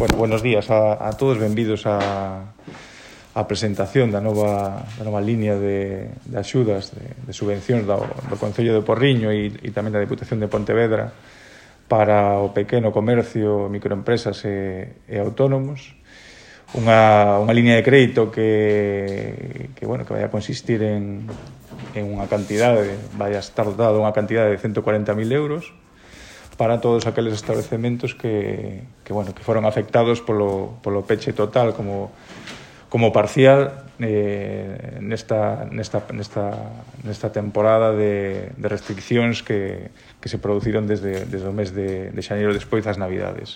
Bueno, buenos días a todos, benvidos á presentación da nova línea de axudas, de subvencións do Concello de Porriño e tamén da Deputación de Pontevedra para o pequeno comercio, microempresas e autónomos. Unha línea de crédito que vai a consistir en unha cantidade, vai a estar dotada unha cantidade de 140.000 euros para todos aqueles establecementos que foron afectados polo peche total como parcial nesta temporada de restriccións que se produciron desde o mes de xaneiro despois das Navidades.